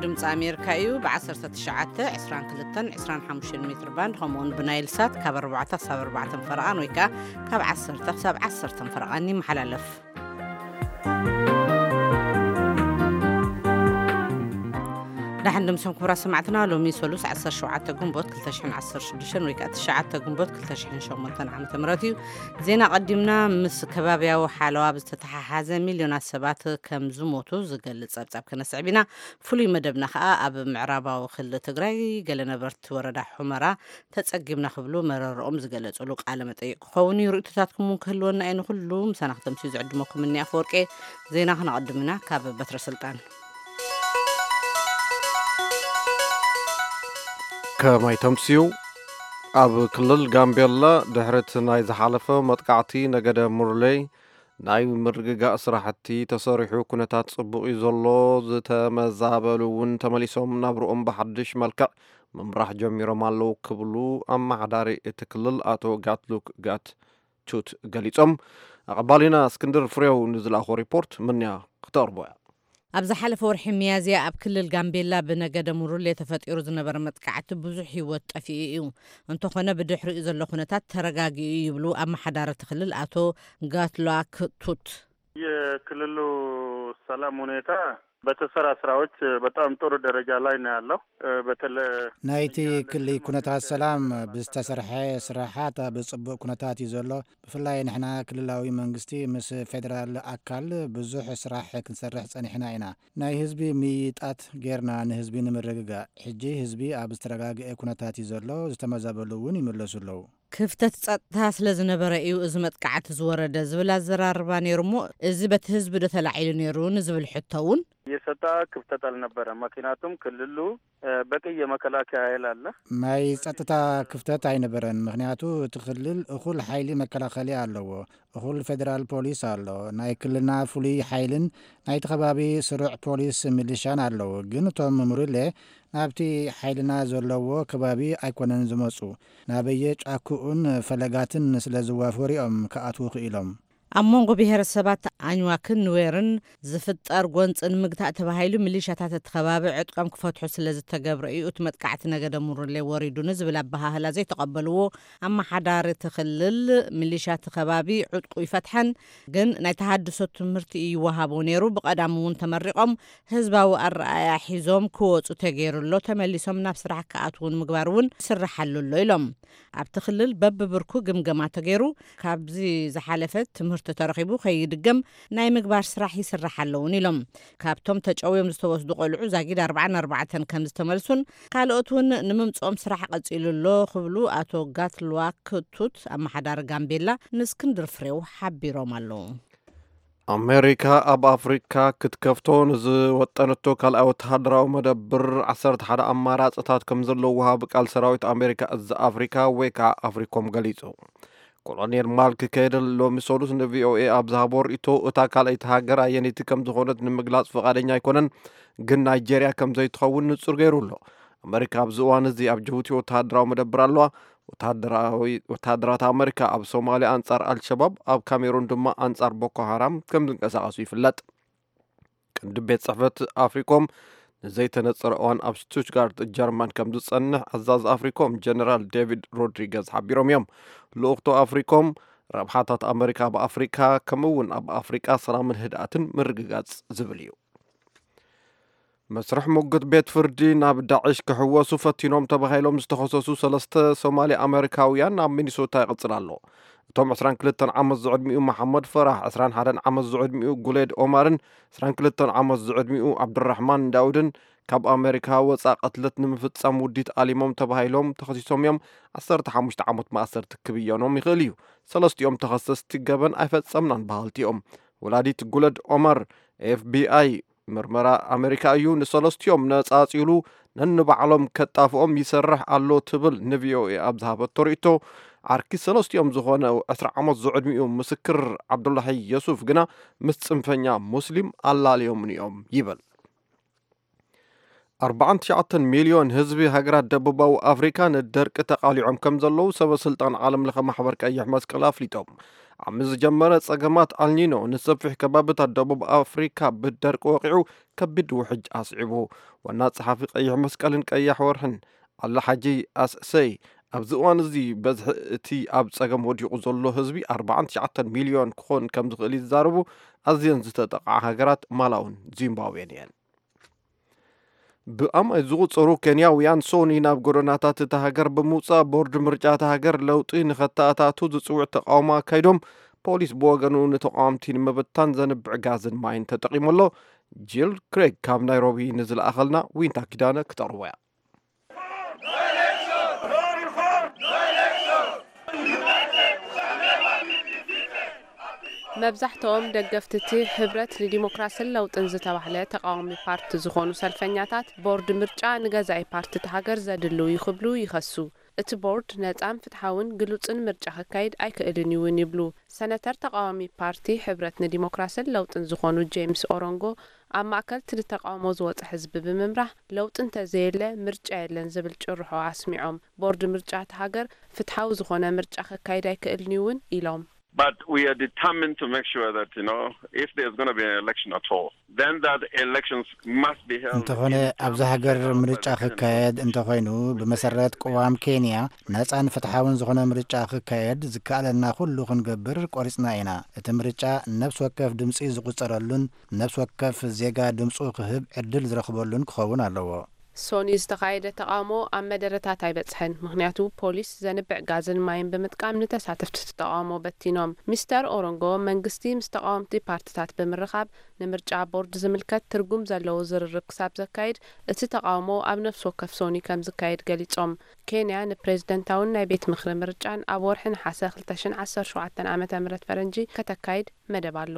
ድምፂ ኣሜሪካ እዩ። ብ19፣ 22፣ 25 ሜትር ባንድ፣ ከምኡውን ብናይል ሳት ካብ ኣርባዕተ ክሳብ ኣርባዕተ ፈረቓን ወይ ከዓ ካብ ዓሰርተ ክሳብ ዓሰርተ ፈረቓን ይመሓላለፍ። ዳሕን ድምሶም ክቡራት ሰማዕትና፣ ሎሚ ሰሉስ ዓሰርተ ሸውዓተ ግንቦት ክልተ ሽሕን ዓሰርተ ሽዱሽተን ወይ ከዓ ትሽዓተ ግንቦት ክልተ ሽሕን ሸሞንተን ዓመተ ምህረት እዩ። ዜና ቀዲምና። ምስ ከባብያዊ ሓለዋ ብዝተተሓሓዘ ሚልዮናት ሰባት ከም ዝሞቱ ዝገልጽ ጸብጻብ ከነስዕብ ኢና። ፍሉይ መደብና ከኣ ኣብ ምዕራባዊ ክልል ትግራይ ገለ ነበርቲ ወረዳ ሑመራ ተጸጊምና ክብሉ መረረኦም ዝገለጹሉ ቃለ መጠይቅ ክኸውን እዩ። ርእይቶታትኩም እውን ክህልወና እዩ። ንኹሉ ምሳና ክተምስዩ ዝዕድመኩም እኒ ኣፈወርቄ። ዜና ክነቐድም ኢና ካብ በትረ ስልጣን። ከመይ ተምስዩ? ኣብ ክልል ጋምቤላ ድሕሪ እቲ ናይ ዝሓለፈ መጥቃዕቲ ነገደ ሙርሌ ናይ ምርግጋእ ስራሕቲ ተሰሪሑ ኩነታት ጽቡቕ እዩ ዘሎ፣ ዝተመዛበሉ እውን ተመሊሶም ናብርኦም ብሓድሽ መልክዕ ምምራሕ ጀሚሮም ኣለዉ ክብሉ ኣመሓዳሪ እቲ ክልል ኣቶ ጋትሉክ ጋት ቹት ገሊጾም። ኣቐባሊና እስክንድር ፍሬው ንዝለኣኾ ሪፖርት ምንያ ክተቕርቦ እያ። ኣብ ዝሓለፈ ወርሒ ሚያዝያ ኣብ ክልል ጋምቤላ ብነገደ ሙሩሌ ተፈጢሩ ዝነበረ መጥቃዕቲ ብዙሕ ህይወት ጠፊኡ እዩ። እንተኾነ ብድሕሪኡ ዘሎ ኩነታት ተረጋጊኡ ይብሉ ኣመሓዳሪ እቲ ክልል ኣቶ ጋትሉክ ቱት። የክልሉ ሰላም ሁኔታ በተሰራ ስራዎች በጣም ጥሩ ደረጃ ላይ ነው ያለው። በተለ ናይቲ ክሊ ኩነታት ሰላም ብዝተሰርሐ ስራሓት ኣብ ጽቡቕ ኩነታት እዩ ዘሎ። ብፍላይ ንሕና ክልላዊ መንግስቲ ምስ ፌደራል ኣካል ብዙሕ ስራሕ ክንሰርሕ ጸኒሕና ኢና። ናይ ህዝቢ ምይይጣት ጌርና ንህዝቢ ንምርግጋእ። ሕጂ ህዝቢ ኣብ ዝተረጋግአ ኩነታት እዩ ዘሎ። ዝተመዛበሉ እውን ይምለሱ ኣለዉ። ክፍተት ጸጥታ ስለ ዝነበረ እዩ እዚ መጥቃዕቲ ዝወረደ ዝብል ኣዘራርባ ነይሩ እሞ፣ እዚ በቲ ህዝቢ ዶ ተላዒሉ ነይሩ ንዝብል ሕቶ እውን የሰጣ ክፍተት አልነበረም። ምክንያቱም ክልሉ በቂ የመከላከያ ኃይል አለ። ናይ ጸጥታ ክፍተት ኣይነበረን፣ ምክንያቱ እቲ ክልል እኹል ሓይሊ መከላኸሊ ኣለዎ። እኹል ፌደራል ፖሊስ ኣሎ። ናይ ክልልና ፍሉይ ሓይልን ናይቲ ከባቢ ስሩዕ ፖሊስ ሚሊሻን ኣለዉ። ግን እቶም ሙርሌ ናብቲ ሓይልና ዘለዎ ከባቢ ኣይኮነን ዝመጹ። ናበየ ጫክኡን ፈለጋትን ስለ ዝዋፈሩ እዮም ክኣትዉ ክኢሎም። ኣብ መንጎ ብሄረሰባት ኣኝዋክን ኑዌርን ዝፍጠር ጎንፂ ንምግታእ ተባሂሉ ሚሊሻታት እቲ ከባቢ ዕጥቆም ክፈትሑ ስለ ዝተገብረ እዩ እቲ መጥቃዕቲ ነገደ ሙርሌ ወሪዱ ንዝብል ኣበሃህላ ዘይተቐበልዎ ኣመሓዳሪ እቲ ክልል፣ ሚሊሻ እቲ ከባቢ ዕጥቁ ይፈትሐን ግን ናይ ተሃድሶ ትምህርቲ ይወሃቦ ነይሩ። ብቐዳም እውን ተመሪቖም ህዝባዊ ኣረኣእያ ሒዞም ክወፁ ተገይሩ ኣሎ። ተመሊሶም ናብ ስራሕ ክኣትዉ ንምግባር እውን ይስራሕ ኣሎ ኣሎ ኢሎም። ኣብቲ ክልል በብብርኩ ግምገማ ተገይሩ ካብዚ ዝሓለፈ ትምህርቲ ተረኺቡ ከይድገም ናይ ምግባር ስራሕ ይስራሕ ኣለውን ኢሎም። ካብቶም ተጨውዮም ዝተወስዱ ቆልዑ ዛጊድ ኣርባዓን ኣርባዕተን ከም ዝተመልሱን ካልኦት እውን ንምምፅኦም ስራሕ ቀፂሉ ኣሎ ክብሉ ኣቶ ጋትሉክ ቱት ኣመሓዳሪ ጋምቤላ ንእስክንድር ፍሬው ሓቢሮም ኣለዉ። ኣሜሪካ ኣብ ኣፍሪካ ክትከፍቶ ንዝወጠነቶ ካልኣይ ወተሃደራዊ መደብር ዓሰርተ ሓደ ኣማራፅታት ከም ዘለውዋ ብቃል ሰራዊት ኣሜሪካ እዚ ኣፍሪካ ወይ ከዓ ኣፍሪኮም ገሊፁ። ኮሎኔል ማርክ ኬድል ሎሚ ሰሉስ ንቪኦኤ ኣብ ዝሃቦ ርእይቶ እታ ካልኣይቲ ሃገር ኣየነይቲ ከም ዝኾነት ንምግላፅ ፍቓደኛ ኣይኮነን፣ ግን ናይጄርያ ከም ዘይትኸውን ንፁር ገይሩ ኣሎ። ኣመሪካ ኣብዚ እዋን እዚ ኣብ ጅቡቲ ወተሃደራዊ መደብር ኣለዋ። ወተሃደራዊ ወተሃደራት ኣመሪካ ኣብ ሶማልያ ኣንጻር ኣልሸባብ፣ ኣብ ካሜሩን ድማ ኣንጻር ቦኮ ሃራም ከም ዝንቀሳቐሱ ይፍለጥ። ቀንዲ ቤት ጽሕፈት ኣፍሪኮም ንዘይተነጸረ እዋን ኣብ ስቱትጋርት ጀርመን ከም ዝጸንሕ ኣዛዚ ኣፍሪኮም ጀነራል ዴቪድ ሮድሪገዝ ሓቢሮም እዮም። ልኡኽቶ ኣፍሪኮም ረብሓታት ኣመሪካ ኣብ ኣፍሪካ ከምኡ እውን ኣብ ኣፍሪቃ ሰላምን ህድኣትን ምርግጋጽ ዝብል እዩ። መስርሕ ሙግት ቤት ፍርዲ ናብ ዳዕሽ ክሕወሱ ፈቲኖም ተባሂሎም ዝተኸሰሱ ሰለስተ ሶማሊ ኣመሪካውያን ኣብ ሚኒሶታ ይቕጽል ኣሎ። እቶም ዕስራን ክልተን ዓመት ዝዕድሚኡ መሓመድ ፈራህ፣ ዕስራን ሓደን ዓመት ዝዕድሚኡ ጉሌድ ኦማርን ዕስራን ክልተን ዓመት ዝዕድሚኡ ዓብዱራሕማን ዳውድን ካብ ኣመሪካ ወጻእ ቅትለት ንምፍጻም ውዲት ኣሊሞም ተባሂሎም ተኸሲሶም እዮም። ዓሰርተ ሓሙሽተ ዓመት ማእሰርቲ ክብየኖም ይኽእል እዩ። ሰለስቲኦም ተኸሰስቲ ገበን ኣይፈጸምናን በሃልቲ እዮም። ወላዲት ጉለድ ኦማር፣ ኤፍቢኣይ ምርመራ ኣመሪካ እዩ ንሰለስቲኦም ነጻጺሉ ነንባዕሎም ከጣፍኦም ይሰርሕ ኣሎ ትብል ንቪኦኤ ኣብ ዝሃበቶ ርእይቶ፣ ዓርኪ ሰለስቲኦም ዝኾነ ዕስራ ዓመት ዝዕድሚኡ ምስክር ዓብዱላሂ የሱፍ ግና ምስ ጽንፈኛ ሙስሊም ኣላልዮምኒ እዮም ይብል። ኣርባዓን ትሽዓተን ሚልዮን ህዝቢ ሃገራት ደቡባዊ ኣፍሪካ ንደርቂ ተቓሊዖም ከም ዘለዉ ሰበ ስልጣን ዓለም ለኸ ማሕበር ቀይሕ መስቀል ኣፍሊጦም። ዓሚ ዝጀመረ ጸገማት ኣልኒኖ ንሰፊሕ ከባብታት ደቡብ ኣፍሪካ ብደርቂ ወቂዑ ከቢድ ውሕጅ ኣስዒቡ። ዋና ጸሓፊ ቀይሕ መስቀልን ቀያሕ ወርሕን ኣላ ሓጂ ኣስሰይ፣ ኣብዚ እዋን እዚ በዝሒ እቲ ኣብ ጸገም ወዲቑ ዘሎ ህዝቢ ኣርባዓን ትሽዓተን ሚልዮን ክኾን ከም ዝኽእል ይዛረቡ። ኣዝየን ዝተጠቕዓ ሃገራት ማላውን ዚምባብዌን እየን። ብኣማይ ዝቑጸሩ ኬንያውያን ሶኒ ናብ ጎደናታት እታ ሃገር ብምውጻእ ቦርድ ምርጫ እታ ሃገር ለውጢ ንኸተኣታቱ ዝጽውዕ ተቓውሞ ኣካይዶም። ፖሊስ ብወገኑ ንተቓወምቲ ንምብታን ዘንብዕ ጋዝን ማይን ተጠቒሙ ኣሎ። ጂል ክሬግ ካብ ናይሮቢ ንዝለኣኸልና ዊንታ ኪዳነ ክተቕርቦ እያ። መብዛሕትኦም ደገፍቲ እቲ ሕብረት ንዲሞክራስን ለውጥን ዝተባህለ ተቓዋሚ ፓርቲ ዝኾኑ ሰልፈኛታት፣ ቦርድ ምርጫ ንገዛኢ ፓርቲ እታ ሃገር ዘድልው እዩ ክብሉ ይኸሱ። እቲ ቦርድ ነጻን ፍትሓውን ግሉጽን ምርጫ ከካይድ ኣይክእልን እዩ እውን ይብሉ። ሰነተር ተቓዋሚ ፓርቲ ሕብረት ንዲሞክራስን ለውጥን ዝኾኑ ጄምስ ኦሮንጎ፣ ኣብ ማእከል እቲ ንተቓውሞ ዝወጸ ህዝቢ ብምምራሕ ለውጢ እንተዘየለ ምርጫ የለን ዝብል ጭርሖ ኣስሚዖም። ቦርድ ምርጫ እታ ሃገር ፍትሓዊ ዝኾነ ምርጫ ከካይድ ኣይክእልን እዩ እውን ኢሎም። But we are determined to make sure that, you know, if there's going to be an election at all, then that elections must be held እንተኾነ in ኣብዚ ሃገር ምርጫ ክካየድ እንተኾይኑ፣ ብመሰረት ቅዋም ኬንያ ነጻን ፍትሓውን ዝኾነ ምርጫ ክካየድ ዝከኣለና ኩሉ ክንገብር ቆሪጽና ኢና። እቲ ምርጫ ነፍሲ ወከፍ ድምጺ ዝቑጸረሉን ነፍሲ ወከፍ ዜጋ ድምጹ ክህብ ዕድል ዝረኽበሉን ክኸውን ኣለዎ። ሶኒ ዝተኻየደ ተቓውሞ ኣብ መደረታት ኣይበጽሐን፣ ምኽንያቱ ፖሊስ ዘንብዕ ጋዝን ማይን ብምጥቃም ንተሳተፍቲ እቲ ተቓውሞ በቲኖም። ሚስተር ኦሮንጎ፣ መንግስቲ ምስ ተቓወምቲ ፓርትታት ብምርኻብ ንምርጫ ቦርድ ዝምልከት ትርጉም ዘለዎ ዝርርብ ክሳብ ዘካይድ፣ እቲ ተቓውሞ ኣብ ነፍሲ ወከፍ ሶኒ ከም ዝካየድ ገሊጾም። ኬንያ ንፕሬዝደንታውን ናይ ቤት ምኽሪ ምርጫን ኣብ ወርሒ ነሓሰ ክልተ ሽሕን ዓሰርተ ሸውዓተን ዓመተ ምህረት ፈረንጂ ከተካይድ መደብ ኣሎ።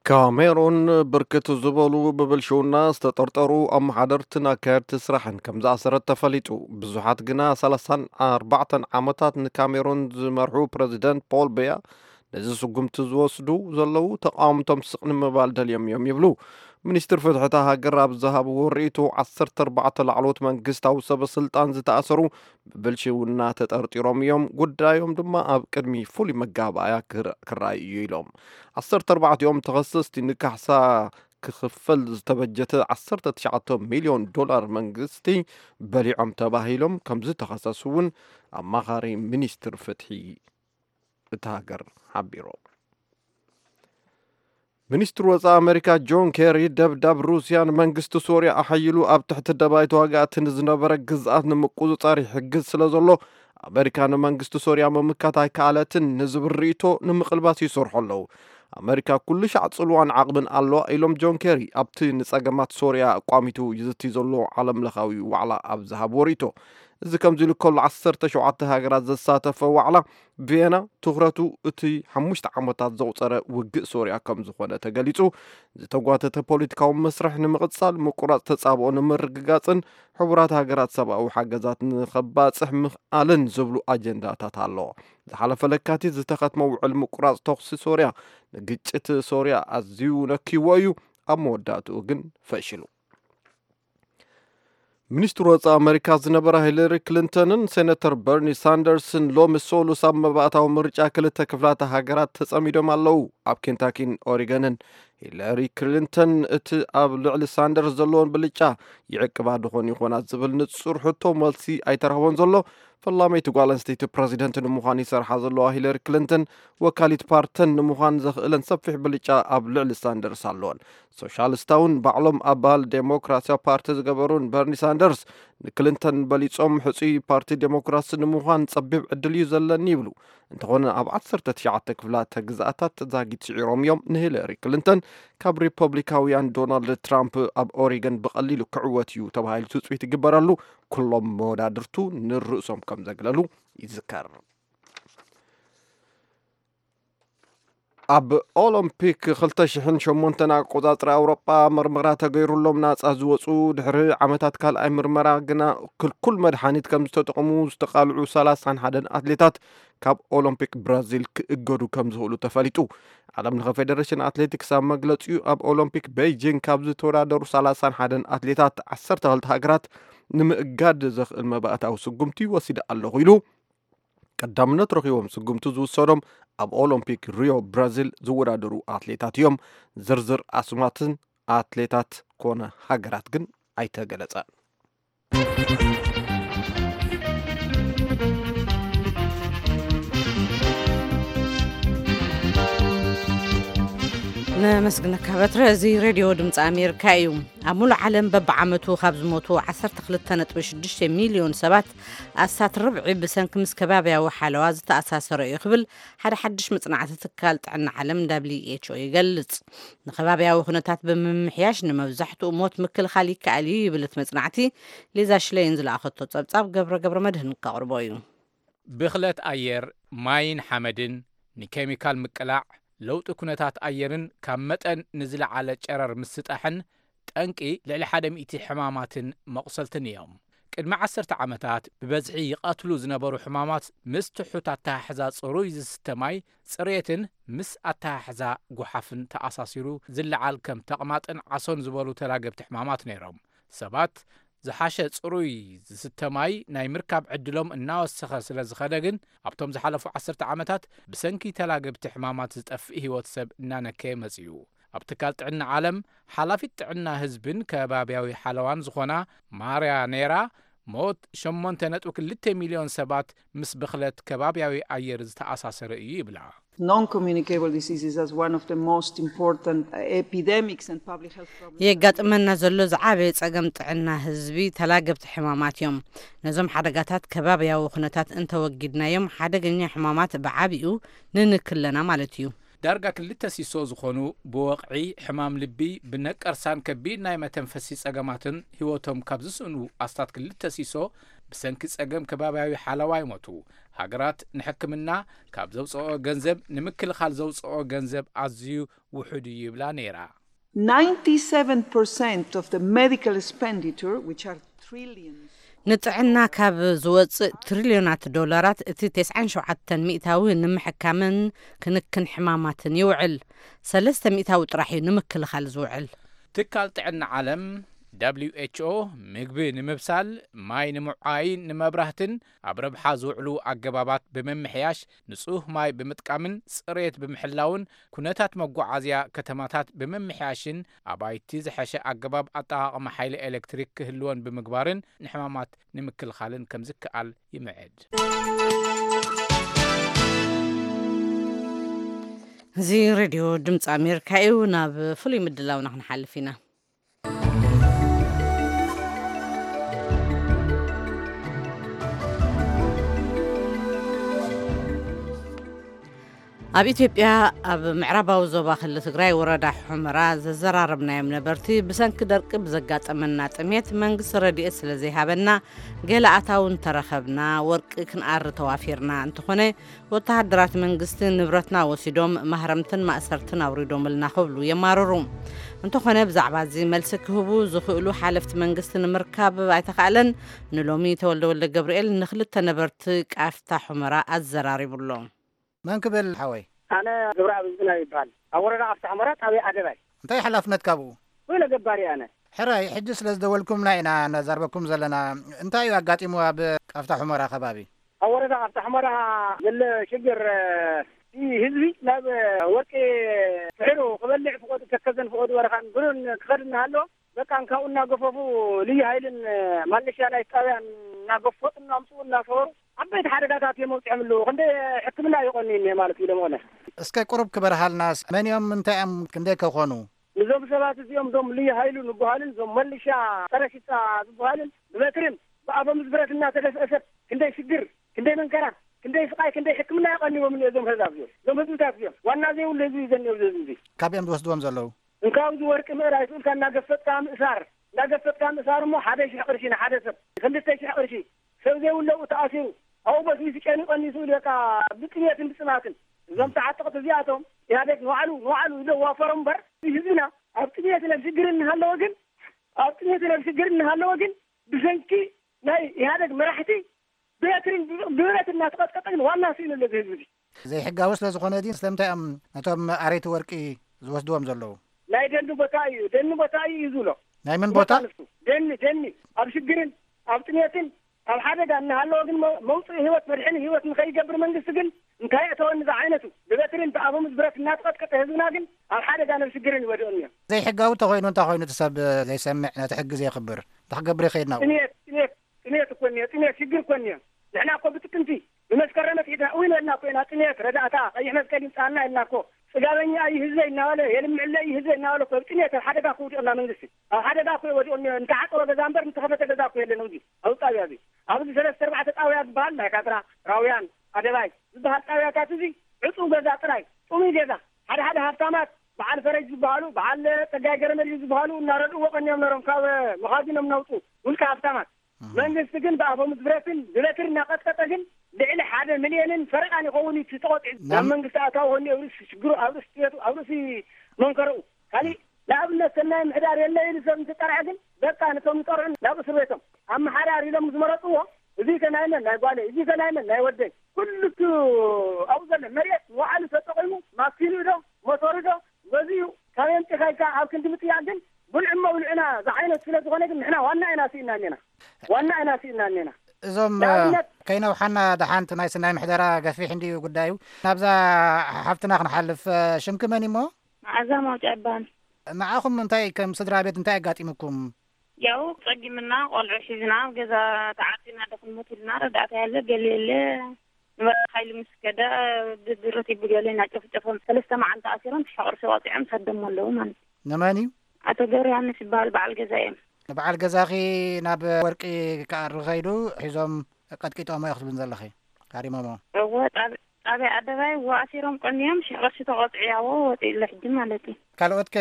ካሜሩን ብርክት ዝበሉ ብብልሽውና ዝተጠርጠሩ ኣመሓደርትን ኣካየድቲ ስራሕን ከም ዝኣሰረት ተፈሊጡ። ብዙሓት ግና ሰላሳን ኣርባዕተን ዓመታት ንካሜሩን ዝመርሑ ፕረዚደንት ፖል ቤያ ነዚ ስጉምቲ ዝወስዱ ዘለዉ ተቓወምቶም ስቕ ንምባል ደልዮም እዮም ይብሉ። ሚኒስትር ፍትሒ እታ ሃገር ኣብ ዝሃብዎ ርእይቶ፣ ዓሰርተ ኣርባዕተ ላዕለዎት መንግስታዊ ሰበ ስልጣን ዝተኣሰሩ ብብልሽውና ተጠርጢሮም እዮም፣ ጉዳዮም ድማ ኣብ ቅድሚ ፍሉይ መጋባእያ ክር- ክረኣይ እዩ ኢሎም። ዓሰርተ ኣርባዕቲኦም ተኸሰስቲ ንካሕሳ ክኽፈል ዝተበጀተ ዓሰርተ ትሽዓተ ሚልዮን ዶላር መንግስቲ በሊዖም ተባሂሎም ከም ዝተኸሰሱ እውን ኣማኻሪ ሚኒስትር ፍትሒ እታ ሃገር ሓቢሩ። ሚኒስትር ወፃኢ ኣሜሪካ ጆን ኬሪ፣ ደብዳብ ሩስያ ንመንግስቲ ሶርያ ኣሓይሉ ኣብ ትሕቲ ደባይ ተዋጋእቲ ንዝነበረ ግዝኣት ንምቁፅፃር ይሕግዝ ስለ ዘሎ፣ ኣሜሪካ ንመንግስቲ ሶርያ ምምካት ኣይከኣለትን ንዝብል ርእይቶ ንምቕልባስ ይሰርሑ ኣለዉ። ኣሜሪካ ኩሉ ሻዕ ፅልዋን ዓቕምን ኣለዋ ኢሎም ጆን ኬሪ ኣብቲ ንፀገማት ሶርያ ኣቋሚቱ ይዝቲ ዘሎ ዓለም ለኻዊ ዋዕላ ኣብ ዝሃብዎ ርእይቶ። እዚ ከምዚ ኢሉ ከሎ፣ ዓሰርተ ሸውዓተ ሃገራት ዘሳተፈ ዋዕላ ቪየና ትኹረቱ እቲ ሓሙሽተ ዓመታት ዘቑጸረ ውግእ ሶርያ ከም ዝኾነ ተገሊጹ። ዝተጓተተ ፖለቲካዊ መስርሕ ንምቕጻል ምቁራጽ ተጻብኦ ንምርግጋጽን ሕቡራት ሃገራት ሰብኣዊ ሓገዛት ንኸባጽሕ ምኽኣልን ዝብሉ ኣጀንዳታት ኣለዎ። ዝሓለፈ ለካቲት ዝተኸትመ ውዕል ምቁራጽ ተኹሲ ሶርያ ንግጭት ሶርያ ኣዝዩ ነክይዎ እዩ፣ ኣብ መወዳእትኡ ግን ፈሺሉ። ሚኒስትር ወፃኢ ኣሜሪካ ዝነበራ ሂለሪ ክሊንተንን ሴነተር በርኒ ሳንደርስን ሎሚ ሰሉስ ኣብ መባእታዊ ምርጫ ክልተ ክፍላተ ሃገራት ተጸሚዶም ኣለዉ። ኣብ ኬንታኪን ኦሪገንን ሂለሪ ክሊንተን እቲ ኣብ ልዕሊ ሳንደርስ ዘለዎን ብልጫ ይዕቅባ ድኾን ይኾና ዝብል ንጹር ሕቶ መልሲ ኣይተረኽቦን ዘሎ። ፈላመይቲ ጓል ኣንስተይቲ ፕረዚደንት ንምዃን ይሰርሓ ዘለዋ ሂለሪ ክሊንተን ወካሊት ፓርተን ንምዃን ዘኽእለን ሰፊሕ ብልጫ ኣብ ልዕሊ ሳንደርስ ኣለወን። ሶሻሊስታውን ባዕሎም ኣባል ዴሞክራሲያዊ ፓርቲ ዝገበሩን በርኒ ሳንደርስ ንክሊንተን በሊጾም ሕጹይ ፓርቲ ዴሞክራሲ ንምዃን ጸቢብ ዕድል እዩ ዘለኒ ይብሉ። እንተኾነ ኣብ ዓሰርተ ትሽዓተ ክፍላተ ግዝኣታት ዛጊት ስዒሮም እዮም ንሂለሪ ክሊንተን ካብ ሪፐብሊካውያን ዶናልድ ትራምፕ ኣብ ኦሪገን ብቐሊሉ ክዕወት እዩ ተባሂሉ ትጽቢት ይግበረሉ። ኩሎም መወዳድርቱ ንርእሶም ከም ዘግለሉ ይዝከር። ኣብ ኦሎምፒክ ክልተ ሽሕን ሸሞንተን ኣቆጻጽራ ኣውሮጳ መርመራ ተገይሩሎም ናጻ ዝወጹ ድሕሪ ዓመታት ካልኣይ ምርመራ ግና ክልኩል መድሓኒት ከም ዝተጠቕሙ ዝተቓልዑ ሰላሳን ሓደን ኣትሌታት ካብ ኦሎምፒክ ብራዚል ክእገዱ ከም ዝኽእሉ ተፈሊጡ። ዓለም ለኸ ፌደሬሽን ኣትሌቲክስ ኣብ መግለጺኡ፣ ኣብ ኦሎምፒክ ቤይጂንግ ካብ ዝተወዳደሩ ሰላሳን ሓደን ኣትሌታት፣ ዓሰርተ ክልተ ሃገራት ንምእጋድ ዘኽእል መባእታዊ ስጉምቲ ወሲደ ኣለኹ ኢሉ። ቀዳምነት ረኺቦም ስጉምቲ ዝውሰዶም ኣብ ኦሎምፒክ ሪዮ ብራዚል ዝወዳደሩ ኣትሌታት እዮም። ዝርዝር ኣስማትን ኣትሌታት ኮነ ሃገራት ግን ኣይተገለጸን። ነመስግነካ በትረ። እዚ ሬድዮ ድምፂ ኣሜሪካ እዩ። ኣብ ሙሉእ ዓለም በብዓመቱ ካብ ዝሞቱ ዓሰርተ ክልተ ነጥቢ ሽዱሽተ ሚልዮን ሰባት ኣስታት ርብዒ ብሰንኪ ምስ ከባብያዊ ሓለዋ ዝተኣሳሰረ እዩ ክብል ሓደ ሓድሽ መፅናዕቲ ትካል ጥዕና ዓለም ደብሊው ኤች ኦ ይገልፅ። ንከባብያዊ ኩነታት ብምምሕያሽ ንመብዛሕትኡ ሞት ምክልኻል ይከኣል እዩ ይብል እቲ መፅናዕቲ። ሊዛ ሽለይን ዝለኣኸቶ ፀብፃብ ገብረ ገብረ መድህን ከቕርቦ እዩ። ብኽለት ኣየር፣ ማይን ሓመድን፣ ንኬሚካል ምቅላዕ፣ ለውጢ ኩነታት ኣየርን ካብ መጠን ንዝለዓለ ጨረር ምስጣሕን ጠንቂ ልዕሊ ሓደ ሚእቲ ሕማማትን መቑሰልትን እዮም። ቅድሚ ዓሰርተ ዓመታት ብበዝሒ ይቐትሉ ዝነበሩ ሕማማት ምስ ትሑት ኣተሓሕዛ ጽሩይ ዝስተ ማይ ጽሬትን ምስ ኣተሓሕዛ ጓሓፍን ተኣሳሲሩ ዝለዓል ከም ተቕማጥን ዓሶን ዝበሉ ተላገብቲ ሕማማት ነይሮም። ሰባት ዝሓሸ ጽሩይ ዝስተ ማይ ናይ ምርካብ ዕድሎም እናወሰኸ ስለ ዝኸደ ግን ኣብቶም ዝሓለፉ ዓሰርተ ዓመታት ብሰንኪ ተላገብቲ ሕማማት ዝጠፍእ ህይወት ሰብ እናነከየ መጺኡ። ኣብ ትካል ጥዕና ዓለም ሓላፊት ጥዕና ህዝብን ከባብያዊ ሓለዋን ዝኾና ማርያ ኔራ ሞት ሸሞንተ ነጥቢ ክልተ ሚልዮን ሰባት ምስ ብኽለት ከባብያዊ ኣየር ዝተኣሳሰረ እዩ ይብላ። Non-communicable diseases as one of the most important epidemics and public health problems. የጋጥመና ዘሎ ዝዓበየ ጸገም ጥዕና ህዝቢ ተላገብቲ ሕማማት እዮም። ነዞም ሓደጋታት ከባብያዊ ኩነታት እንተወጊድናዮም ሓደገኛ ሕማማት ብዓቢኡ ንንክለና ማለት እዩ። ዳርጋ ክልተ ሲሶ ዝኾኑ ብወቕዒ፣ ሕማም ልቢ፣ ብነቀርሳን ከቢድ ናይ መተንፈሲ ጸገማትን ህይወቶም ካብ ዝስእኑ ኣስታት ክልተ ሲሶ ብሰንኪ ጸገም ከባብያዊ ሓለዋ ይሞቱ። ሃገራት ንሕክምና ካብ ዘውጽኦ ገንዘብ ንምክልኻል ዘውጽኦ ገንዘብ ኣዝዩ ውሑድ እዩ ይብላ ነይራ። Ninety-seven percent of the medical expenditure, which are trillions. ንጥዕና ካብ ዝወጽእ ትሪልዮናት ዶላራት እቲ ተስዓን ሸውዓተን ሚእታዊ ንምሕካምን ክንክን ሕማማትን ይውዕል። ሰለስተ ሚእታዊ ጥራሕ እዩ ንምክልኻል ዝውዕል። ትካል ጥዕና ዓለም ደብሊው ኤች ኦ ምግቢ ንምብሳል፣ ማይ ንምውዓይን ንመብራህትን ኣብ ረብሓ ዝውዕሉ ኣገባባት ብምምሕያሽ፣ ንጹህ ማይ ብምጥቃምን ጽሬት ብምሕላውን፣ ኩነታት መጓዓዝያ ከተማታት ብምምሕያሽን ኣባይቲ ዝሐሸ ኣገባብ ኣጠቓቕማ ሓይሊ ኤሌክትሪክ ክህልወን ብምግባርን ንሕማማት ንምክልኻልን ከም ዝከኣል ይምዕድ። እዚ ሬድዮ ድምፂ ኣሜሪካ እዩ። ናብ ፍሉይ ምድላውና ክንሓልፍ ኢና። ኣብ ኢትዮጵያ ኣብ ምዕራባዊ ዞባ ክልል ትግራይ ወረዳ ሑመራ ዘዘራረብናዮም ነበርቲ ብሰንኪ ደርቂ ብዘጋጠመና ጥሜት መንግስቲ ረድኤት ስለ ዘይሃበና ገለ ኣታዊ እንተረኸብና ወርቂ ክንኣሪ ተዋፊርና። እንተኾነ ወተሃደራት መንግስቲ ንብረትና ወሲዶም ማህረምትን ማእሰርትን ኣውሪዶምልና ክብሉ የማርሩ። እንተኾነ ብዛዕባ እዚ መልሲ ክህቡ ዝኽእሉ ሓለፍቲ መንግስቲ ንምርካብ ኣይተኻእለን። ንሎሚ ተወልደ ወልደ ገብርኤል ንክልተ ነበርቲ ቃፍታ ሑመራ ኣዘራሪቡ ኣሎ። መን ክብል ሓወይ? ኣነ ግብረኣብ ህዝብና ይበሃል። ኣብ ወረዳ ቃፍታ ሑመራ ጣብያ ኣደባይ። እንታይ ሓላፍነት ካብኡ? ወይለ ገባሪ ኣነ። ሕራይ፣ ሕጂ ስለ ዝደወልኩምና ኢና ነዛርበኩም ዘለና። እንታይ እዩ ኣጋጢሙ ኣብ ቃፍታ ሑመራ ከባቢ? ኣብ ወረዳ ቃፍታ ሑመራ ዘሎ ሽግር፣ እቲ ህዝቢ ናብ ወርቂ ፍሕሩ ክበልዕ ፍቆዱ ተከዘን ፍቆዱ በረኻን ብሩን ክኸድ እናሃለወ በቃ እንካብኡ እናገፈፉ ልዩ ሃይልን ማለሻ ናይ ጣብያን እናገፈጡ እናምፅኡ እናሰወሩ ዓበይቲ ሓደጋታት እዮም ኣብፅሖም ኣለዉ። ክንደይ ሕክምና ይቐኑ እኒሀ ማለት እዩ ለመኾነ። እስከ ቁሩብ ክበርሃልናስ መን እዮም እንታይ እዮም ክንደይ ከኾኑ? ንዞም ሰባት እዚኦም እዞም ልዩ ሃይሉ ንበሃሉን እዞም መለሻ ፀረ ሽፍታ ዝበሃሉን ብበትርን ብኣፈሙዝ ብረት እናተደፍአ ሰብ ክንደይ ሽግር ክንደይ መንከራ ክንደይ ስቃይ ክንደይ ሕክምና የቐንዎም እኒኦ እዞም ህዝብ እዚኦም እዞም ህዝብታት እዚኦም ዋና ዘይብሉ ህዝቢ እዩ ዘኒኦ እዚ ህዝቢ እዚ። ካብኦም ዝወስድዎም ዘለዉ? እንካብ እዚ ወርቂ ምእራይ ስኡልካ እናገፈጥካ ምእሳር እናገፈጥካ ምእሳር እሞ ሓደ ሽሕ ቅርሺ ንሓደ ሰብ ክልተ ሽሕ ቅርሺ ሰብ ዘይብለኡ ተኣሲሩ ኣብኡ በስቢሱ ጨኒቆኒ ስኡል በቃ ብጥሜትን ብፅማትን እዞም ተዓጠቕቲ እዚኣቶም ኢህኣዴግ ንባዕሉ ንባዕሉ ዝደዋፈሮም እምበር ህዝብና ኣብ ጥሜትን ኣብ ሽግርን እናሃለወ ግን ኣብ ጥሜትን ኣብ ሽግርን እናሃለወ ግን ብሰንኪ ናይ ኢህኣዴግ መራሕቲ ብበትሪ ብብረት እናተቐጥቀጠ ግን ዋና ስኢኑ ኣሎ እዚ ህዝቢ እዚ። ዘይሕጋዊ ስለ ዝኾነ ድዩ? ስለምንታይ እዮም ነቶም ኣረይቲ ወርቂ ዝወስድዎም ዘለዉ? ናይ ደኒ ቦታ እዩ፣ ደኒ ቦታ እዩ እዩ ዝብሎ። ናይ መን ቦታ? ንሱ ደኒ ደኒ ኣብ ሽግርን ኣብ ጥሜትን ኣብ ሓደጋ እናሃለወ ግን መ- መውፅኢ ህይወት መድሕኒ ህይወት ንኸይገብር መንግስቲ ግን እንታይ እተወኒ ዝዓይነቱ ብበትሪን ብኣፈሙዝ ብረት እናተቐጥቀጠ ህዝብና ግን ኣብ ሓደጋ ናብ ሽግርን ይወድኦ እኒኦ። ዘይሕጋዊ ተኾይኑ እንታይ ኮይኑ እቲ ሰብ ዘይሰምዕ ነቲ ሕጊ ዘየኽብር እንታይ ክገብር ይኸይድ ናብኡ? ጥሜት ጥሜት ጥሜት እኮ እኒኦ፣ ጥሜት ሽግር እኮ እኒኦ። ንሕና እኮ ብጥቅምቲ ብመስከረም ኣትሒዝና እውን ኢልና እኮ ኢና ጥሜት ረዳእታ ቀይሕ መስቀል ይምፃና ኢልና እኮ። ፅጋበኛ እዩ ህዝበይ እናበለ የልምዕለ እዩ ህዝበይ እናበለ እኮ ኣብ ጥሜት ኣብ ሓደጋ እኮ ውዲቕና መንግስቲ ኣብ ሓደጋ እኮ ወዲቑ እኒኦ። እንተሓፀወ ገዛ እምበር እንተኸፈተ ገዛ እኮ የለን። ኣብዚ ኣብዚ ጣብያ እዚ ኣብዚ ሰለስተ ኣርባዕተ ጣብያ ዝበሃል ናይ ካድራ ራውያን ኣደባይ ዝበሃል ጣብያታት እዚ ዕፁው ገዛ ጥራይ ጥሙይ ገዛ ሓደ ሓደ ሃብታማት በዓል ፈረጅ ዝበሃሉ በዓል ፀጋይ ገረመድህን ዝበሃሉ እናረድእዎ ቀኒዮም ነሮም ካብ መኻዚኖም እናውፁ ውልቀ ሃብታማት መንግስቲ ግን ብኣፈሙዝ ብረትን ብበትሪ እናቐጥቀጠ ግን ልዕሊ ሓደ ሚልዮንን ፈረቓን ይኸውን እዩ እቲ ተቖጢዑ ናብ ናብ መንግስቲ ኣታዊ ኾኒ ኣብ ርእሲ ሽግሩ ኣብ ርእሲ ጥሜቱ ኣብ ርእሲ መንከረኡ ካሊእ ንኣብነት ሰናይ ምሕዳር የለ ኢሉ ሰብ እንትጠርዐ ግን በቃ ነቶም ዝጠርዑ ናብ እስር ቤቶም ኣመሓዳር ኢሎም ዝመረፅዎ እዚ ከ ናይ መን ናይ ጓለይ እዚ ከ ናይ መን ናይ ወደይ ኩሉ እቲ ኣብኡ ዘሎ መሬት ንባዕሉ ተጠቒሙ ማኪኑ ዶ ሞተሩ ዶ ገዚኡ ካብ የምፂኻ ኢልካ ኣብ ክንዲ ምጥያቕ ግን ብልዑ መብልዑና ዝዓይነት ስለ ዝኾነ ግን ንሕና ዋና ኢና ስኢና እኒና ዋና ኢና ስኢና እኒና እዞም ንኣብነት ከይነውሓና ደሓንቲ ናይ ስናይ ምሕደራ ገፊሕ እንድዩ ጉዳዩ ናብዛ ሓፍትና ክንሓልፍ ሽምኪ መን እሞ መዓዛ ማውጫ ይበሃል። ንዓኹም እንታይ ከም ስድራ ቤት እንታይ ኣጋጢሙኩም? ያው ጸጊምና ቆልዑ ሒዝና ኣብ ገዛ ተዓጺና ዶ ክንሞት ኢልና ረዳእታ ያለ ገለ የለ ንበረኻ ኢሉ ምስ ከደ ብድረት ይብገለ እናጨፍጨፎም ሰለስተ መዓልቲ ኣሲሮም ሕቕርሲ ወጺዖም ሰዶም ኣለዉ ማለት እዩ። ንመን እዩ? ኣቶ ገብረ ዮሃንስ ይበሃል በዓል ገዛ እዮም። ንበዓል ገዛኺ ናብ ወርቂ ክኣሪ ከይዱ ሒዞም ቀጥቂጦሞ ኢኹ ትብልን ዘለኺ? ሃሪሞሞ? እወ ጣብ- ጣብያ ኣደባይ እወ ኣሲሮም ቀንዮም ሽሕ ቅርሺ ተቆጥዕያዎ ወፂኡ ኣሎ ሕጂ ማለት እዩ። ካልኦት ከ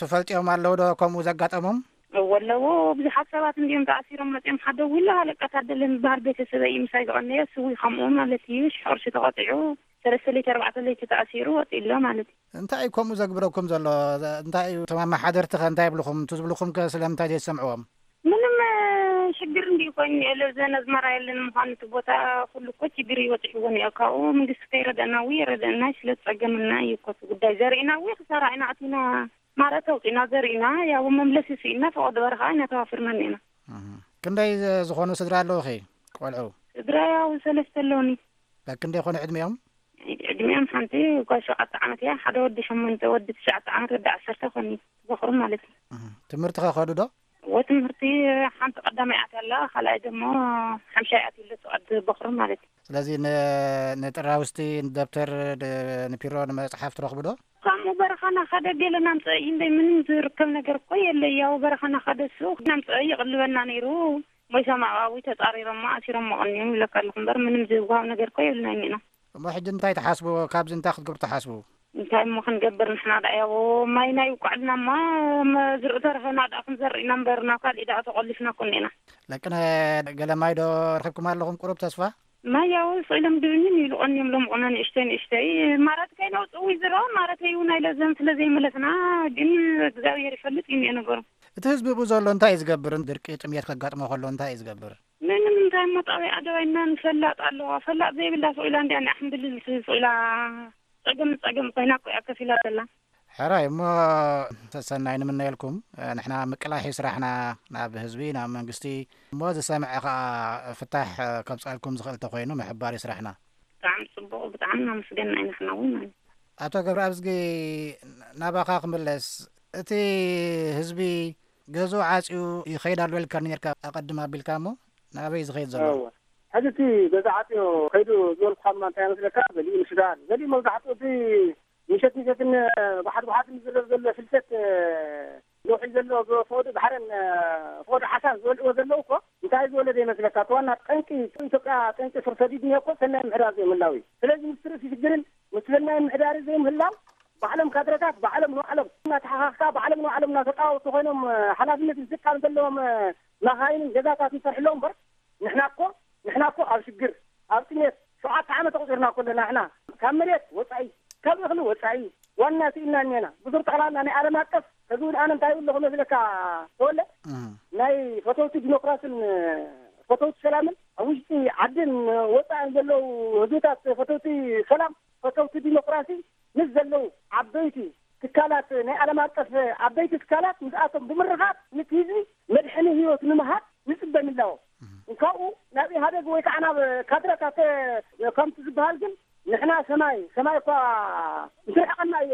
ትፈልጥዮም ኣለዉ ዶ ከምኡ ዘጋጠሞም? እወ ኣለዎ ብዙሓት ሰባት እንዲዮም ተኣሲሮም መፅዮም ሓደ ዊላ ሃለቃ ታደለ ዝበሃል ቤተሰበይ እዩ ምሳይ ዝቐነየ ስዊ ከምኡ ማለት እዩ ሽሕ ቅርሺ ተቆጢዑ ሰለስተ ለይቲ ኣርባዕተ ለይቲ ተኣሲሩ ወፂኡ ኣሎ ማለት እዩ። እንታይ እዩ ከምኡ ዘግብረኩም ዘሎ? እንታይ እዩ እቶም ኣመሓደርቲ ከ እንታይ ይብልኹም? እቱ ዝብልኹም ከ ስለምንታይ ዘይሰምዕዎም? ምንም ሽግር እንዲ ኮይኑ የለ ዘን ኣዝመራ የለን ምዃኑ እቲ ቦታ ኩሉ እኮ ችግር ይበፅሕዎ እኒኦ ካብኡ መንግስቲ ከይረደእና ው የረደእና ስለ ዝፀገምና እዩ እኮ እቲ ጉዳይ ዘርኢና ው ክሳራ ኢና ኣቲና ማለት ኣውፂና ዘርኢና ያው መምለሲ ስኢና ፈቐዶ በረኻ ኢና ተዋፊርና እኒና። ክንደይ ዝኾኑ ስድራ ኣለውኺ ቆልዑ? ስድራ ያው ሰለስተ ኣለውኒ። በክንደይ ኮኑ ዕድሚኦም? ዕድሚኦም ሓንቲ ጓል ሸውዓተ ዓመት እያ ሓደ ወዲ ሸሞንተ ወዲ ትሽዓተ ዓመት ወዲ ዓሰርተ ኮኒ። ዝኽሩ ማለት እዩ። ትምህርቲ ከኸዱ ዶ? እዎ ትምህርቲ ሓንቲ ቀዳማይ ኣትያ ኣላ ካልኣይ ደሞ ሓምሻይ ኣትዩ ኣሎ ትቐድ በኽሩ ማለት እዩ። ስለዚ ንጥራውስቲ ንደብተር ንፒሮ ንመፅሓፍ ትረኽቡ ዶ? ከምኡ በረኻና ኸደ ገለ ናምፀእ እዩ እምበይ ምንም ዝርከብ ነገር እኮ የለ ያው በረኻና ኸደ እሱ ናምፀእ ይቕልበና ነይሩ። ሞይቶም ኣባዊ ተፃሪሮሞ ኣሲሮሞ ቀኒዮም ይብለካ ኣለኹ እምበር ምንም ዝወሃብ ነገር እኮ የብልናን ኢና። እሞ ሕጂ እንታይ ትሓስቡ? ካብዚ እንታይ ክትገብሩ ትሓስቡ? እንታይ እሞ ክንገብር ንሕና ደኣ ያው ማይ ናይ ውቃዕልና እማ ዝርእ ተረኸና ደኣ ክንዘርእ ኢና እምበር ናብ ካልእ ደኣ ተቆሊፍና እኮ እኒና። ለቅነ ገለ ማይ ዶ ረኺብኩም ኣለኹም ቁሩብ ተስፋ? ማይ ያው ስኢሎም ድብንን ይብሉ ቀኒዮም ሎም ቁና ንእሽተይ ንእሽተይ ማራት ከይነውፅእ ውይ ዝሮ ማረተይ እውን ኣይለዘን ስለ ዘይመለስና ግን እግዚኣብሔር ይፈልጥ እዩ እኒኦ ነገሩ። እቲ ህዝቢ ብኡ ዘሎ እንታይ እዩ ዝገብር? ድርቂ ጥምየት ከጋጥሞ ከሎ እንታይ እዩ ዝገብር? ምንም እንታይ እሞ ጣብያ ኣደባይና ንፈላጥ ኣለዋ ፈላጥ ዘይብላ ስቕ ኢላ እንዲያ ንኣሕምድልል ስቕ ኢላ ፀገም ፀገም ኮይና እኮ እያ ከፊላ ዘላ። ሕራይ እሞ ሰሰናይ ንምነየልኩም። ንሕና ምቅላሕ እዩ ስራሕና ናብ ህዝቢ ናብ መንግስቲ እሞ ዝሰምዐ ከዓ ፍታሕ ከምፀልኩም ዝኽእል ተኮይኑ ምሕባር እዩ ስራሕና። ብጣዕሚ ፅቡቕ ብጣዕሚ እናመስገንና ኢና ንሕና እውን ማለት እዩ። ኣቶ ገብረኣብዝጊ ናባኻ ክምለስ እቲ ህዝቢ ገዝኡ ዓፅዩ ይኸይድ ኣሎ ኢልካኒ ነርካ ኣቐድም ኣቢልካ እሞ ናበይ ዝኸይድ ዘሎ? እወ። ሕዚ እቲ ገዛ ዓፅዮ ከይዱ ዝበልኩኻ ድማ እንታይ መስለካ? ገሊኡ ንሱዳን፣ ገሊኡ መብዛሕትኡ እቲ ምሸት ምሸትን ባሕሪ ባሕሪ ዝረብ ዘሎ ፍልሰት ለውሒ ዘሎ ብፈወዱ ባሕርን ፈወዱ ሓሳን ዝበልዕዎ ዘለዉ እኮ እንታይ ዝበለ ዘይመስለካ? እቲ ዋና ጠንቂ ኢትዮጵያ ጠንቂ ስር ሰዲድ እኒኦ እኮ ሰናይ ምሕዳር ዘይምህላው እዩ። ስለዚ ምስ ርእሲ ሽግርን ምስ ሰናይ ምሕዳር ዘይምህላው ባዕሎም ካድረታት ባዕሎም ንባዕሎም እናተሓኻኽካ ባዕሎም ንባዕሎም እናተጣወቱ ኮይኖም ሓላፍነት ዝቃም ዘለዎም መኻይንን ገዛታት ይሰርሕሎም እምበር ንሕና እኮ ንሕና እኮ ኣብ ሽግር ኣብ ጥሜት ሸውዓተ ዓመት ኣቑፂርና እኮ ኣለና ንሕና ካብ መሬት ወፃኢ ካብ እኽሊ ወፃኢ ዋና ስኢልና እኒና ብዙር ጠቕላላ ናይ ዓለም ኣቀፍ ሕዚ እውን ኣነ እንታይ ይብለኹ መስለካ ተወለ ናይ ፈተውቲ ዲሞክራስን ፈተውቲ ሰላምን ኣብ ውሽጢ ዓድን ወፃእን ዘለዉ ህዝብታት ፈተውቲ ሰላም፣ ፈተውቲ ዲሞክራሲ ምስ ዘለዉ ዓበይቲ ትካላት፣ ናይ ዓለም ኣቀፍ ዓበይቲ ትካላት ምስኣቶም ብምርኻብ ነቲ ህዝቢ መድሕኒ ህይወት ንምሃብ ንፅበ ምህላው። እንካኡ ናብ ኢህኣደግ ወይ ከዓ ናብ ካድረታት ከምቲ ዝበሃል ግን ንሕና ሰማይ ሰማይ እኳ እንትርሕቀና እዩ።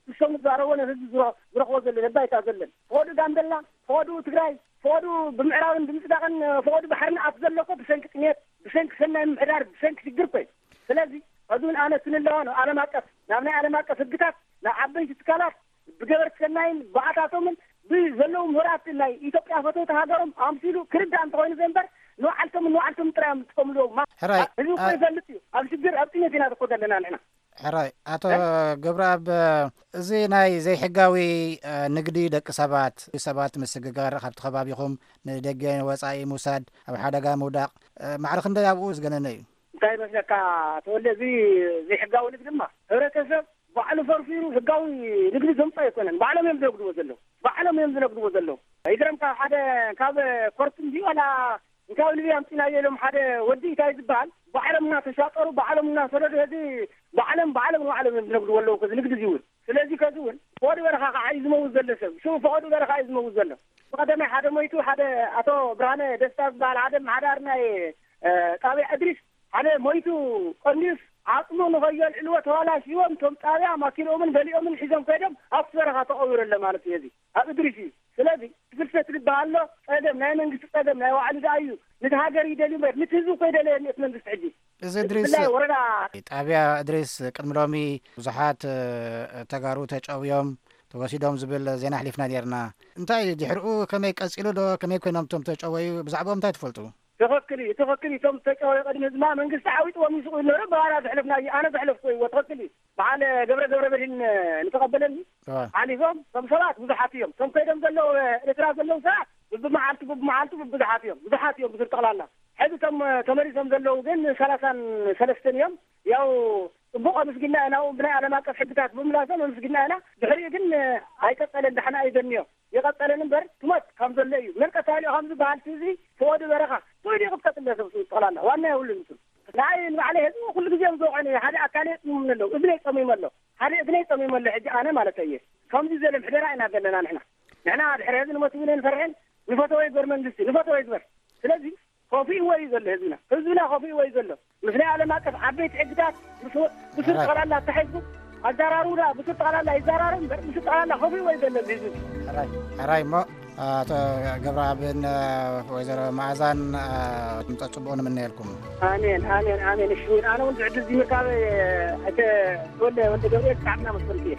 ሽቶም ንዛረቦ ንህዝቢ ዝረ- ዝረኽቦ ዘሎ ነባይታ ዘለን ፈቐዱ ጋምቤላ፣ ፈቐዱ ትግራይ፣ ፈቐዱ ብምዕራብን ብምስራቅን ፈቐዱ ባሕርን ኣፍ ዘሎ እኮ ብሰንኪ ጥሜት፣ ብሰንኪ ሰናይ ምምሕዳር፣ ብሰንኪ ሽግር እኮ እዩ። ስለዚ ሕዚ እውን ኣነ ክንለዋ ነው ዓለም ኣቀፍ ናብ ናይ ዓለም ኣቀፍ ህግታት ናብ ዓበይቲ ትካላት ብገበርቲ ሰናይን ብኣታቶምን ብዘለዉ ምሁራት ናይ ኢትዮጵያ ፈተውቲ ሃገሮም ኣምሲሉ ክርዳእ እንተኾይኑ ዘንበር ንባዕልቶምን ንባዕልቶም ጥራይ እዮም ዝጥቀምሉ። ማ- ሕራይ፣ ህዝቢ እኮ ኣ- ይፈልጥ እዩ። ኣብ ሽግር ኣብ ጥሜት ኢና እኮ ዘለና ንሕና። ሕራይ፣ ኣቶ ገብረኣብ፣ እዚ ናይ ዘይሕጋዊ፣ እ፣ ንግዲ ደቂ ሰባት፣ ሰባት ምስግጋር ካብቲ ከባቢኹም ንደገ ወጻኢ ምውሳድ፣ ኣብ ሓደጋ ምውዳቕ፣ እ፣ ማዕረ ክንደይ ኣብኡ ዝገነነ እዩ? እንታይ ይመስለካ ተወልደ፣ እዚ ዘይሕጋዊ ንግዲ ድማ ሕብረተሰብ ባዕሉ ፈርፊሩ ህጋዊ ንግዲ ዘምፅኦ ኣይኮነን። ባዕሎም እዮም ዝነግድዎ ዘለዉ። ባዕሎም እዮም ዝነግድዎ ዘለዉ። ይግረምካ ሓደ ካብ ኮርት እንዲ ዋላ እንታይ ልቢ ኣምፂናዮ ኢሎም ሓደ ወዲ እንታይ ዝበሃል ባዕሎም እናተሻጠሩ ባዕሎም እናሰደዱ ሕዚ ባዕሎም ባዕሎም ንባዕሎም እዮም ዝነግድዎ ኣለዉ። ከዚ ንግዲ እዚ እውን ስለዚ ከዚ እውን ፈቐዱ በረኻ ከዓ እዩ ዝመውት ዘሎ ሰብ። ሽኡ ፈቐዱ በረኻ እዩ ዝመውት ዘሎ። ብቐደማይ ሓደ ሞይቱ ሓደ ኣቶ ብርሃነ ደስታ ዝበሃል ሓደ መሓዳር ናይ ጣብያ እድሪስ ሓደ ሞይቱ ቀኒዩስ ዓፅሙ ንኸየልዕልዎ ተባላሽዎም። እቶም ጣብያ ማኪንኦምን ገሊኦምን ሒዞም ከይዶም ኣብቲ በረኻ ተቐቢሩ ኣሎ ማለት እዩ። እዚ ኣብ እድሪስ እዩ። ስለዚ ፍልሰት ዝበሃል ኣሎ ጸገም ናይ መንግስቲ ጸገም ናይ ባዕሉ ደኣ እዩ። ነቲ ሃገር ይደልዩ እምበር ነቲ ህዝቢ እኮ ይደለየኒ እቲ መንግስቲ ሕጂ። እዚ እድሪስ ብፍላይ ወረዳ ጣብያ እድሪስ ቅድሚ ሎሚ ብዙሓት፣ እ፣ ተጋሩ ተጨውዮም ተወሲዶም ዝብል ዜና ኣሕሊፍና ኔርና። እንታይ ድሕሪኡ ከመይ ቀጺሉ ዶ? ከመይ ኮይኖም እቶም ተጨወዩ? ብዛዕባኦም እንታይ ትፈልጡ? ትኽክል እዩ፣ ትኽክል እዩ። እቶም ዝተጨወዩ ቅድሚ ህዝማ መንግስቲ ዓዊጥዎም ይስቑ ነይሩ። ብባህላ ዘሕለፍናዮ፣ ኣነ ዘሕለፍኩ እይዎ። ትኽክል እዩ። በዓል ገብረ ገብረ መድህን ንተቐበለኒ እዋ። ሓሊፎም እቶም ሰባት ብዙሓት እዮም። እቶም ከይዶም ዘለዉ ኤርትራ ዘለዉ ሰባት ብብመዓልቱ ብብመዓልቱ ብብዙሓት እዮም። ብዙሓት እዮም ብስር ጠቕላላ። ሕዚ እቶም ተመሊሶም ዘለዉ ግን ሰላሳን ሰለስተን እዮም። ያው ጽቡቕ ኣመስጊና ኢና፣ ናብኡ ብናይ ዓለም ኣቀፍ ሕግታት ብምምላሶም ኣመስጊና ኢና። ድሕሪኡ ግን ኣይቀጸለን፣ ዳሕና እዩ ዘንዮ። ይቐጸለን እምበር ትሞት ከም ዘሎ እዩ። መን ቀታሊኡ ከም ዝበሃል እቲ ህዝቢ ፈቐዱ በረኻ ኮይኑ ይቕጥቀጥ ኣሎ ሰብ ጠቕላላ ዋና የብሉን እሱ። ንዓይ ንባዕለይ ህዝቢ ኩሉ ግዜ እዮም ዝወቕዑኒ። ሓደ ኣካለይ ጸሚሙ ኣሎ፣ እዝነይ ጸሚሙ ኣሎ፣ ሓደ እዝነይ ጸሚሙ ኣሎ። ሕጂ ኣነ ማለት እየ ከምዚ ዘለ ምሕደራ ኢና ዘለና ንሕና። ንሕና ድሕሪ ህዝቢ ንሞት እውን ኣይንፈርሕን። ንፈተወ ይግበር መንግስቲ፣ ንፈተወ ይግበር። ስለዚ ከፊእዎ እዩ ዘሎ ህዝብና። ህዝብና ከፊእዎ እዩ ዘሎ። ምስ ናይ ዓለም ኣቀፍ ዓበይቲ ሕግታት ብሱ- ብሱር ሕራይ። ጠቕላላ ኣተሓሒዝኩም ኣዘራርቡና። ብሱር ጠቕላላ ይዘራረብ እምበር ብሱር ጠቕላላ ከፊእዎ እዩ ዘሎ እዚ ህዝቢ። ሕራይ፣ ሕራይ እሞ ኣቶ ገብረኣብን፣ እ፣ ወይዘሮ መኣዛን፣ እ፣ ምጻእ ጽቡቕ ንምነየልኩም። ኣሜን፣ ኣሜን፣ ኣሜን። እሺ፣ ኣነ እውን ዝዕድል እዚ ምርካብ፣ እ፣ ኣይተ ወልደ፣ ወልደ ገብርኤል ብጣዕሚ እናመስገንኩ እየ።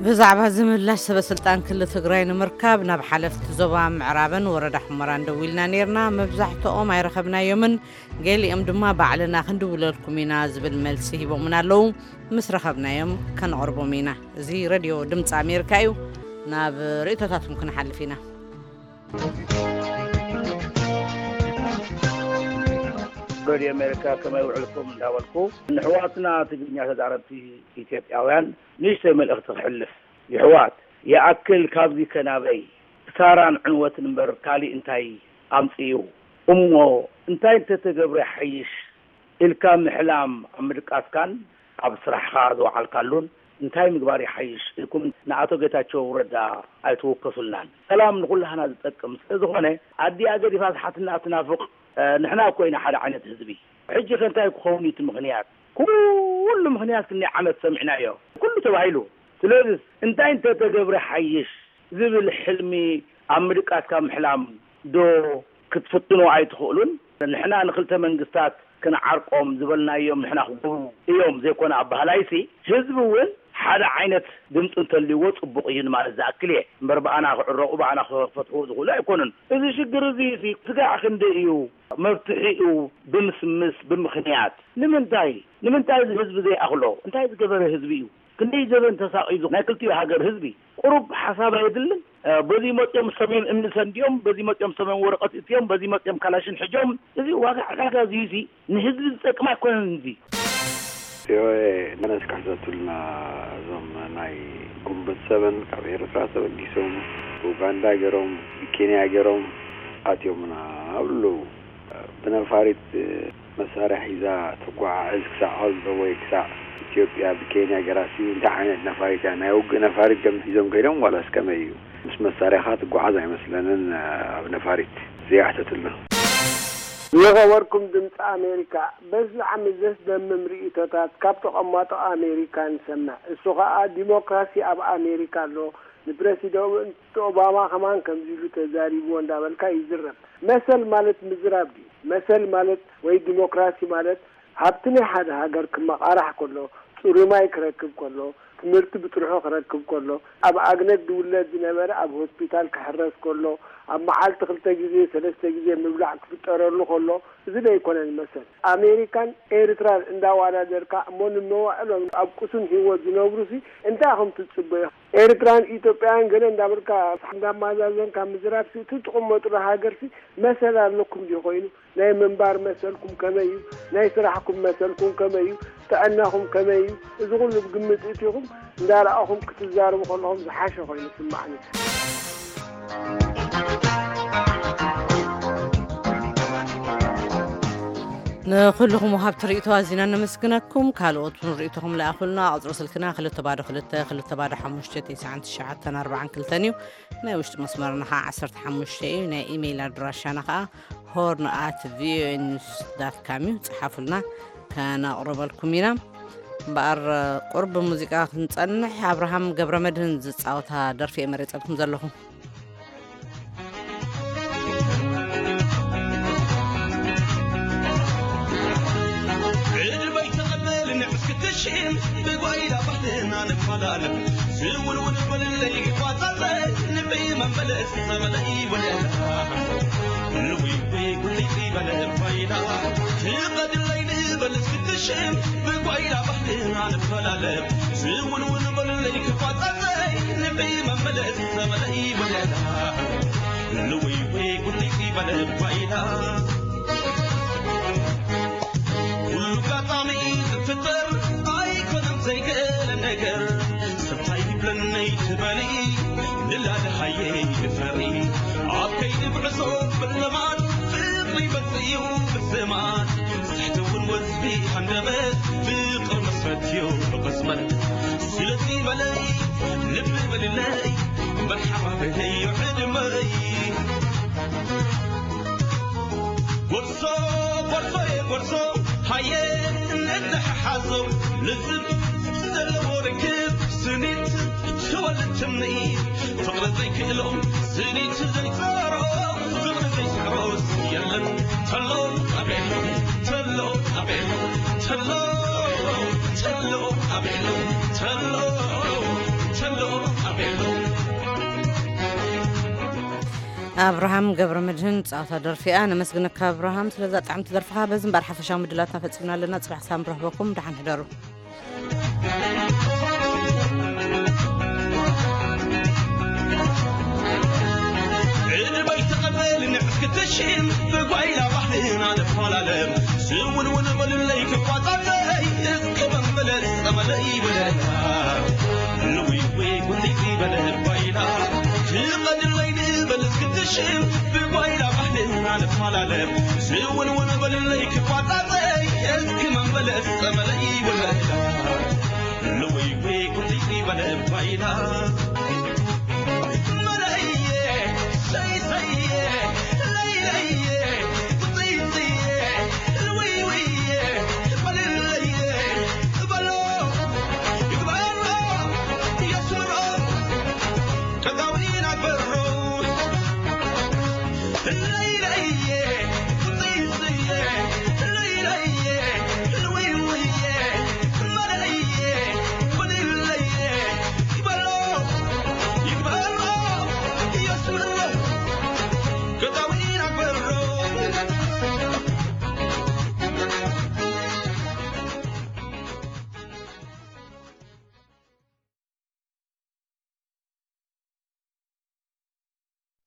ብዛዕባ እዚ ምላሽ ሰበ ስልጣን ክልል ትግራይ ንምርካብ ናብ ሓለፍቲ ዞባ ምዕራብን ወረዳ ሑመራን ደዊልና ነይርና። መብዛሕትኦም ኣይረኸብናዮምን፣ ገሊኦም ድማ ባዕልና ክንድውለልኩም ኢና ዝብል መልሲ ሂቦምና ኣለዉ። ምስ ረኸብናዮም ከነቕርቦም ኢና። እዚ ሬድዮ ድምፂ ኣሜሪካ እዩ። ናብ ርእይቶታትኩም ክንሓልፍ ኢና። ሬድዮ ኣሜሪካ ከመይ ውዕልኩም እንዳበልኩ ንሕዋትና ትግርኛ ተዛረብቲ ኢትዮጵያውያን ንእሽተይ መልእኽቲ ክሕልፍ። ይሕዋት ይኣክል ካብዚ ከናበይ ክሳራን ዕንወትን እምበር ካሊእ እንታይ ኣምፅኡ? እሞ እንታይ እንተተገብረ ይሓይሽ ኢልካ ምሕላም ኣብ ምድቃስካን ኣብ ስራሕኻ ዝወዓልካሉን እንታይ ምግባር ይሓይሽ ኢልኩም ንኣቶ ጌታቸው ረዳ ኣይትወከሱልናን። ሰላም ንኹላህና ዝጠቅም ስለ ዝኾነ ኣዲኣ ገዲፋ ዝሓትና ትናፍቕ፣ እ፣ ንሕና እኮ ኢና ሓደ ዓይነት ህዝቢ። ሕጂ ከ እንታይ ክኸውን እዩ እቲ ምኽንያት? ኩሉ ምኽንያት ክንደይ ዓመት ሰሚዕናዮ። ኩሉ ተባሂሉ። ስለዚ እንታይ እንተተገብረ ሓይሽ ዝብል ሕልሚ ኣብ ምድቃስ ካብ ምሕላም ዶ ክትፍትኑ ኣይትኽእሉን? ንሕና ንክልተ መንግስታት ክንዓርቆም ዝበልናዮም ንሕና ክገብሩ እዮም ዘይኮነ ኣባህላይሲ ህዝቢ እውን ሓደ ዓይነት ድምፂ እንተልይዎ ፅቡቕ እዩ ንማለት ዝኣክል እየ። እምበር ብኣና ክዕረቑ ብኣና ክፈትሑ ዝኽእሉ ኣይኮኑን። እዚ ሽግር እዚ ሲ ስጋዕ ክንደይ እዩ? መፍትሒኡ ብምስምስ ብምኽንያት ንምንታይ? ንምንታይ እዚ ህዝቢ ዘይኣኽሎ? እንታይ ዝገበረ ህዝቢ እዩ? ክንደይ ዘበን ተሳቒሉ ናይ ክልቲኡ ሃገር ህዝቢ ቁሩብ ሓሳብ ኣየድልን? እ፣ በዚ መፅኦም ሰሜን እምኒ ሰንዲኦም፣ በዚ መፅኦም ሰሜን ወረቐት እትዮም፣ በዚ መፅኦም ካላሽን ሕጆም፣ እዚ ዋጋ ዕዳጋ እዚ ሲ ንህዝቢ ዝጠቅም ኣይኮነን እዚ። ቪኦኤ ነስካሕተቱልና እዞም ናይ ጉንበት ሰበን ካብ ኤርትራ ተበጊሶም ብኡጋንዳ ገይሮም፣ ብኬንያ ገይሮም ኣትዮምና ኣብሉ። ብነፋሪት መሳርያ ሒዛ ትጓዓዝ ክሳዕ ኦልዶ ወይ ክሳዕ ኢትዮጵያ ብኬንያ ገራሲ እንታይ ዓይነት ነፋሪት እያ? ናይ ውግእ ነፋሪት ዶም ሒዞም ከይዶም ዋላስ ከመይ እዩ? ምስ መሳርያኻ ትጓዓዝ ኣይመስለንን ኣብ ነፋሪት። ዘይኣሕተትልና። ዝኸበርኩም ድምፂ ኣሜሪካ፣ በዚ ዓሚ ዘስደምም ርእይቶታት ካብ ተቐማጦ ኣሜሪካ ንሰምዕ። እሱ ኸኣ ዲሞክራሲ ኣብ ኣሜሪካ ኣሎ፣ ንፕረሲደንት ኦባማ ከማን ከምዚ ኢሉ ተዛሪብዎ እንዳበልካ ይዝረብ። መሰል ማለት ምዝራብ ድዩ? መሰል ማለት ወይ ዲሞክራሲ ማለት ሃብቲ ናይ ሓደ ሃገር ክመቓራሕ ከሎ፣ ጽሩይ ማይ ክረክብ ከሎ፣ ትምህርቲ ብጥርሑ ክረክብ ከሎ፣ ኣብ ኣግነት ዝውለድ ዝነበረ ኣብ ሆስፒታል ክሕረስ ከሎ፣ ኣብ መዓልቲ ክልተ ግዜ ሰለስተ ግዜ ምብላዕ ክፍጠረሉ ከሎ፣ እዚ ዶ ኣይኮነን መሰል? ኣሜሪካን ኤርትራን እንዳዋዳደርካ እሞ ንመዋዕሎም ኣብ ቅሱን ህይወት ዝነብሩሲ እንታይ ኢኹም ትጽበዩ? ኤርትራን ኢትዮጵያን ገለ እንዳበልካ እንዳማዛዘንካ ምዝራብሲ እቲ ትቕመጡሉ ሃገርሲ መሰል ኣለኩም ድዩ ኮይኑ? ናይ ምንባር መሰልኩም ከመይ እዩ? ናይ ስራሕኩም መሰልኩም ከመይ እዩ? ጥዕናኹም ከመይ እዩ? እዚ ኩሉ ብግምት እቲኹም እንዳረኣኹም ክትዛረቡ ከለኹም ዝሓሸ ኮይኑ ይስማዓኒ። ንኹልኹም ወሃብቲ ርእይቶ ኣዚና ነመስግነኩም። ካልኦት እውን ርእይቶኹም ለኣኹልና። ቁጽሪ ስልክና ክልተ ባዶ ክልተ፣ ክልተ ባዶ ሓሙሽተ፣ ትሽዓን ትሽዓተን ኣርባዓን ክልተን እዩ። ናይ ውሽጢ መስመርና ኸዓ ዓሰርተ ሓሙሽተ እዩ። ናይ ኢሜይል ኣድራሻና ኸዓ ሆርን ኣት ቪኦኤ ኒውስ ዳት ካም እዩ። ጽሓፉልና፣ ከነቕርበልኩም ኢና። እምበኣር፣ ቁሩብ ብሙዚቃ ክንጸንሕ፣ ኣብርሃም ገብረመድህን ዝጻወታ ደርፊ እየ መሪጸልኩም ዘለኹ። ዕድመይ ተቐበል ንዕስ ክትሽም፣ ብጓይላ ባህልና ንፈላለም። ዝውንውን በልለይ ክቋጸጸ፣ ንበይ መመለስ ዘመነ ይወለላ። ንዊዊ ጉሊቲ በለ ጓይላ፣ ትቐድለይ ንበል እስክትሽም፣ ብጓይላ ባህልና ንፈላለም። ዝውንውን በልለይ ክቋጸጸ፣ ንበይ መመለስ ዘመነ ይወለላ። ንዊዊ ጉሊቲ በለ ጓይላ። ኩሉ ኣጋጣሚ ዝፍጠር ኣይኮነን ዘይገለ ነገር። ሰብ ታይ ይብለኒ ትበሊ ንላለ ሃየ ይፈሪ። ኣብ ከይዲ ጉዕዞ ብለማድ ፍቕሪ ይበጽእ እዩ ብዘማን። ስሕቲ እውን ወዝቢ ሃንደበት ፍቕሪ መስረት እዩ ብቕጽበት። ስለዚ በለይ ልቢ በልለይ መርሓባ በለይ ዕድመይ። ጎርዞ፣ ጎርዞ፣ ጎርዞ፣ ሃየ፣ እንተሓሓዞ፣ ልዝብ ዘለዎ ርክብ፣ ስኒት ትወልድ ትምኒት፣ ፍቕሪ ዘይክእሎ፣ ስኒት ዘይጸሮ፣ ፍቕሪ ዘይስዕሮስ የለን። ተሎ ኣቤሎ፣ ተሎ ኣቤሎ፣ ተሎ፣ ተሎ ኣቤሎ፣ ተሎ፣ ተሎ ኣቤሎ። ኣብርሃም ገብረ መድህን ጻውታ ደርፊኣ ነመስግነካ ኣብርሃም፣ ስለዛ ጣዕምቲ ደርፍኻ። በዚ እምበኣር ሓፈሻዊ ምድላትና ፈጺምና ኣለና። ጽባሕ ሳም ረኽበኩም፣ ደሓን ሕደሩ። ዕድመይ ተቐበል ንዕስ ክትሽም፣ ብጓይላ ባህልና ንፈላለም። ስውንውን በሉለይ ክቋጻጸይ፣ እስከ መመለስ ጸመለይ በለና። ንዊዊ ጉንዲቲ በለ ጓይላ፣ ትቐድለይ ንበል እስክትሽም፣ ብጓይላ ባህልና ንፈላለም። ስውንውን በሉለይ ክቋጻጸይ፣ እስኪ መመለስ ጸመለይ በለና። ንዊዊ ጉንዲቲ በለ ጓይላ።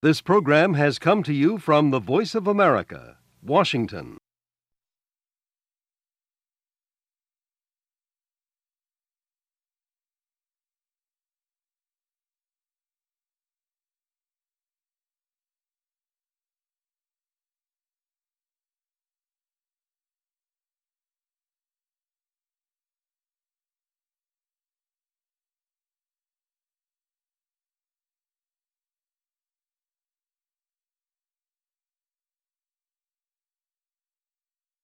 This program has come to you from the Voice of America, Washington.